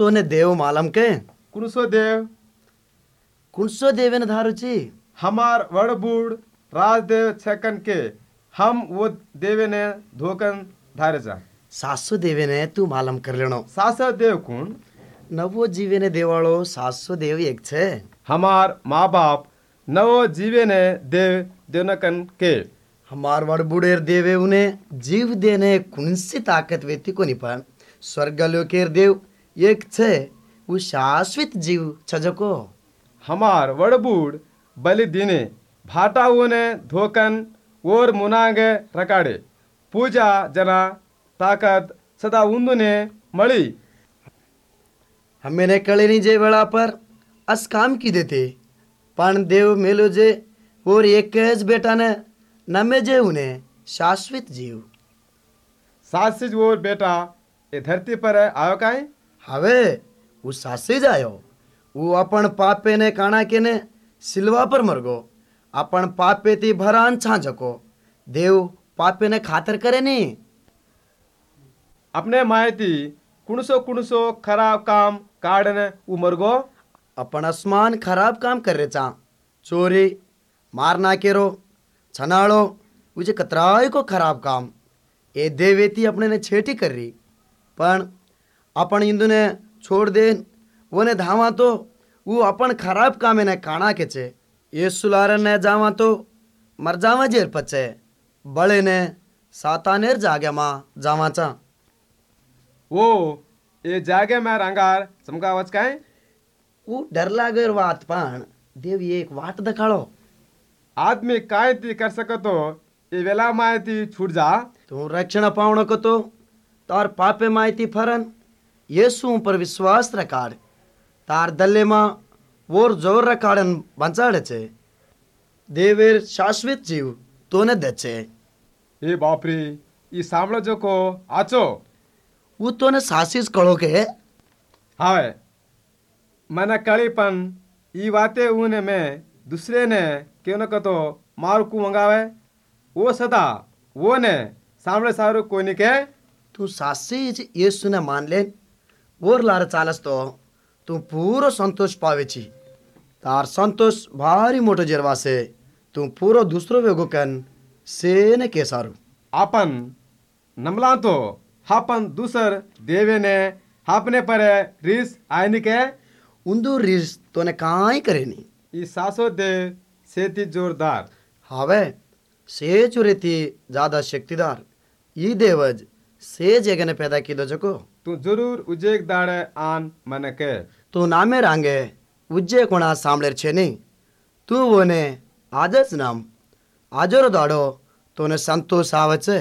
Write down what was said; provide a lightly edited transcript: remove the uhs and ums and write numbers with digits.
तोने देव मालम के? कुणसो देव? कुणसो देवे ने धारू छी? हमार वड़ बूढ़ राजदेव छकन के हम वो देवे ने धोकन धारे जा। सासो देवे ने तू मालम कर लेनो। सासो देव कौन? नवो जीवे ने देवाड़ो सासो देव एक छे। हमार माँ बाप नवो जीवे ने देव देनकन के। हमार वड़ बूढ़ेर देवे उन्हें जीव देने कुणसी ताकत वेती कोनी, पण स्वर्गलोकेर देव एक छे, वो शाश्वत जीव छजको। हमार वड़ बूढ़ बलि दिने भाटा उने धोकन और मुनांगे रकाड़े पूजा जना ताकत सदा उन्दुने मळी। हमें कळे नहीं जे वेला पर अस काम की देते, पण देव मेलो जे और एक बेटा ने नमे जे उन्हें शाश्वत जीव। सासिज और बेटा ये धरती पर आयो काई? हवे वो सासिज आयो। वो अपन पापे ने काना के ने सिलवा पर मरगो। अपन पापे ती भरान छांझको। देव पापे ने खातर करे नहीं। अपने मायती कुणसो कुणसो खराब काम काढ़ने वो मरगो। अपन आसमान खराब काम कर रहे चा, चोरी मारना केरो छनाड़ो उसे कतराई को खराब काम ए देवेती अपने ने छेटी कर रही, पण अपन इंदु ने छोड़ दे वो ने धावा तो वो अपन खराब काम ने काना के छे। ये सुलारन ने जावा तो मर जावा जेर पचे बड़े ने सातानेर जागे माँ जावा चा। वो ये जागे में रंगार चमकावच काई? वो डर लागर बात, पण देव ये एक वाट दखाड़ो। आदमी काय ती कर सकतो ये वेला मायती छूट जा। तू रक्षण पावण को तो तार पापे मायती फरन यीशु पर विश्वास रखाड़, तार दल्ले मां वोर जोर रखाड़न बंचाड़े छे। देवेर शाश्वत जीव तोने दे छे। ए बाप रे, ई सामलो जो को आचो वो तोने सासिस कळो के? हावे मने कळी, पन ई बातें उने मैं दूसरे ने क्यों न कतो मार को मंगावे, वो सदा वो ने सामने सारू कोई नहीं के। तू सासी यीशु ने मान ले और लार चालस तो तू पूरो संतोष पावे छी। तार संतोष भारी मोटो जरवा से तू पूरो दूसरो वेगो कन से ने के सारू। आपन नमला तो हापन दूसर देवे ने हापने पर रिस आयनी के। उंदू रिस तो ने काई करे नहीं। ई सासो देव सेती जोरदार। हावे से चुरेती ज्यादा शक्तिदार ई देवज से जगह ने पैदा की दो जको। तू जरूर उजेक दाड़े आन मन के। तू नामे रांगे उज्जे कोणा सामलेर छे नहीं, तू वो ने आजच नाम आजरो दाड़ो तोने संतोष आवे छे।